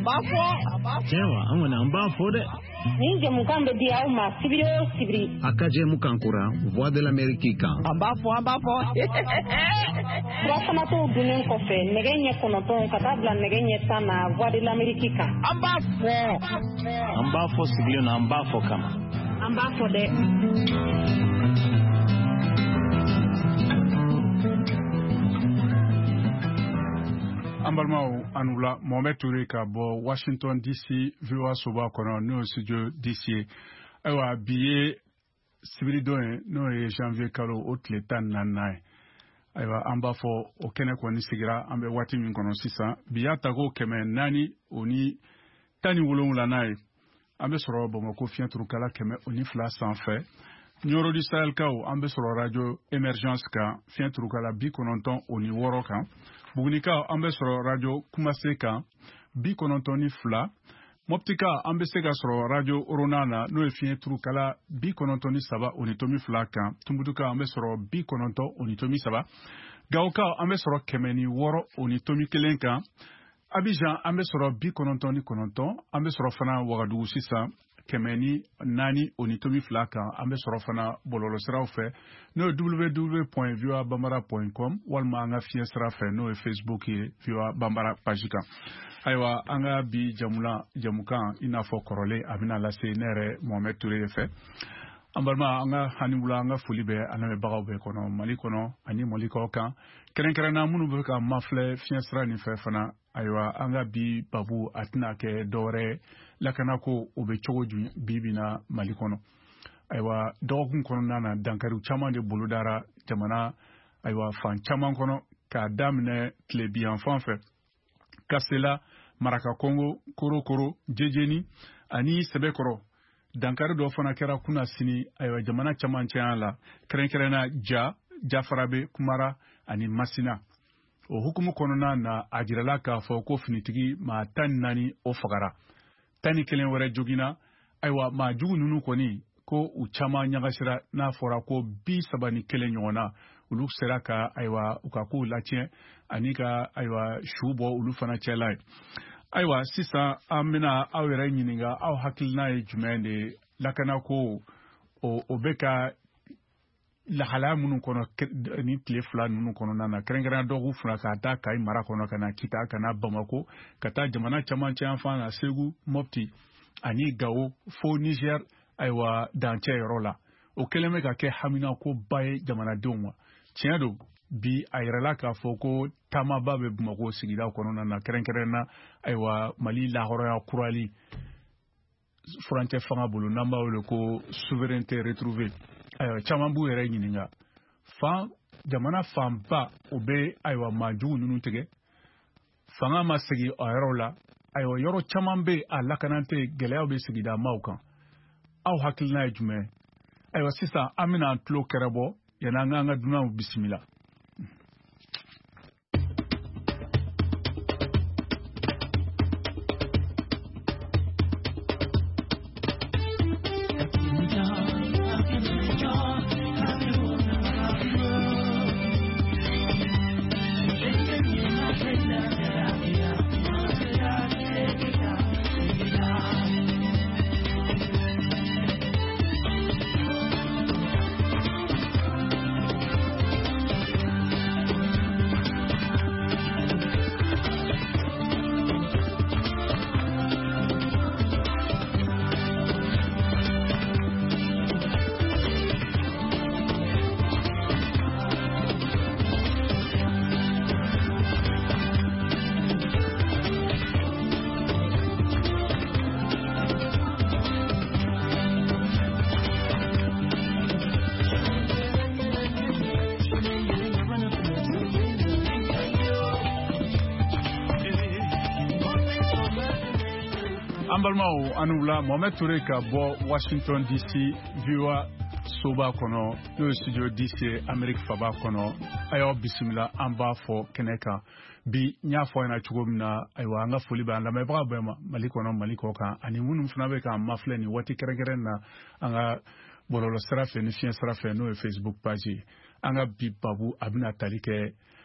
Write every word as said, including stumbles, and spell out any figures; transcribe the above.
b'a fɔ, a b'a fɔ. Tiɲɛ wa, an kɔni an b'a fɔ dɛ. Nin jɛmukan bɛ di aw ma sibiri o sibiri. A ka jɛmukan kura Voix de l'Amérique kan. An b'a fɔ, an b'a fɔ. Furafanatɔw dunnen kɔfɛ nɛgɛ ɲɛ kɔnɔntɔn ka taa bila nɛgɛ ɲɛ tan na Voix de l'Amérique kan. An b'a fɔ. An b'a fɔ sigilen na, an b'a fɔ kama. An b'a fɔ dɛ. An balimaw, an wula. Mohamed Touré ka bɔ Washington D C V O A soba kɔnɔ, n'o ye studio D C ye. Ayiwa, bi ye sibiridon ye, n'o ye janvier kalo o tile tan ni naaninan ye. Ayiwa, an b'a fɔ o kɛnɛ kɔni sigira an bɛ waati min kɔnɔ sisan, bi y'a tako kɛmɛ naani o ni tan ni wolonwulanan ye. An bɛ sɔrɔ Bamakɔ fiɲɛturukala kɛmɛ o ni fila sanfɛ. Nioro du Sahelkaw, an bɛ sɔrɔ radio Emergence kan, fiɲɛturukala bi kɔnɔntɔn o ni wɔɔrɔ kan. Bugunikaw, an bɛ sɔrɔ radio Kumase kan, bi kɔnɔntɔn ni fila. Mɔptika, an bɛ se ka sɔrɔ radio Orona na, n'o ye fiɲɛturukala bi kɔnɔntɔn ni saba o ni tomi fila kan. Tumutukaw, an bɛ sɔrɔ bi kɔnɔntɔn o ni tomi saba. Gawokaw, an bɛ sɔrɔ kɛmɛ ni wɔɔrɔ o ni tomi kelen kan. Abidjan, an bɛ sɔrɔ bi kɔnɔntɔn ni kɔnɔntɔn. An bɛ sɔrɔ fana Wagadugu sisan, kɛmɛ ni naani o ni tomi fila kan. An bɛ sɔrɔ fana bɔlɔlɔsiraw fɛ, n'o ye W W W point voa bambara point com, walima an ka fiɲɛ sira fɛ, n'o ye Facebook ye, V O A Bambara page kan. Ayiwa, an ka bi jamula jamukan, i n'a fɔ kɔrɔlen, a bɛna lase ne yɛrɛ Mohamed Touré de fɛ. An balima, an ka hani wula, an ka foli bɛ an lamɛnbagaw bɛɛ kɔnɔ, Mali kɔnɔ ani Mali kɔ kan, kɛrɛnkɛrɛnna minnu bɛ ka mafilɛ fiɲɛ sira nin fɛ fana. Ayiwa, an ka bi babu a tɛna kɛ dɔwɛrɛ ye, lakanako o bɛ cogo jumɛn bi bi na Mali kɔnɔ? Ayiwa, dɔgɔkun kɔnɔna na, dankariw caman de bolodara jamana, ayiwa, fan caman kɔnɔ, k'a daminɛ tilebiyanfan fɛ, Kasela, Maraka Kongo, Korokoro, Jejeni ani Sɛbɛkɔrɔ. Dankari dɔ fana kɛra kunna sini, ayiwa, jamana camancɛya la, kɛrɛnkɛrɛnna Ja, Jafarabe, Kumara ani Masina. O hukumu kɔnɔna na, a jirala k'a fɔ ko finitigi maa tan ni naani o fagara, tan ni kelen wɛrɛ joginna. Ayiwa, maa jugu ninnu kɔni ko u caman ɲagasira, n'a fɔra ko bi saba ni kelen ɲɔgɔn na, olu sera ka, ayiwa, u ka kow latiɲɛ ani ka, ayiwa, su bɔ olu fana cɛla ye. Ayiwa, sisan an bɛna aw yɛrɛ ɲininka, aw hakilina ye jumɛn de ye lakanako o o bɛ ka lahalaya minnu kɔnɔ ni tile fila ninnu kɔnɔna na, kɛrɛnkɛrɛnnenya dɔgɔkun fila, k'a ta Kayi mara kɔnɔ ka na Kita, ka na Bamako, ka taa jamana camancɛ yanfan na, Segu, Mopti ani Gawo, fo Niger, ayiwa, dancɛ yɔrɔ la, o kɛlen bɛ ka kɛ haminakoba ye jamanadenw ma. Tiɲɛ don, bi a yɛrɛla k'a fɔ ko taamaba bɛ Bamakɔ sigida kɔnɔna na, kɛrɛnkɛrɛnna, ayiwa, Mali lahɔrɔnya kurali furancɛ fanga bolo, n'an b'a wele ko souveraineté retrouvée. Ayiwa, caman b'u yɛrɛ ɲininka, fan jamana fanba o bɛ, ayiwa, maajugu ninnu tigɛ, fanga ma segin a yɔrɔ la. Ayiwa, yɔrɔ caman bɛ a lakana tɛ, gɛlɛyaw bɛ sigida maaw kan. Aw hakilina ye jumɛn? Ayiwa, sisan an bɛna an tulo kɛrɛbɔ yanni an k'an ka dunanw bisimila. An balimaw, an wula. Mohamed Touré ka bɔ Washington D C V O A soba kɔnɔ, n'o ye studio D C Amérique faba kɔnɔ. A y'aw bisimila, an b'a fɔ kɛnɛ kan bi. N y'a fɔ ɲɛna cogo min na, ayiwa, an ka foli bɛ an lamɛnbaga bɛɛ ma, Mali kɔnɔ, Mali kɔ kan, ani minnu fana bɛ k'an mafilɛ nin waati kɛrɛnkɛrɛn na an ka bɔlɔlɔ sira fɛ ni fiɲɛ sira fɛ, n'o ye Facebook page ye. An ka bi babu a bɛna tali kɛ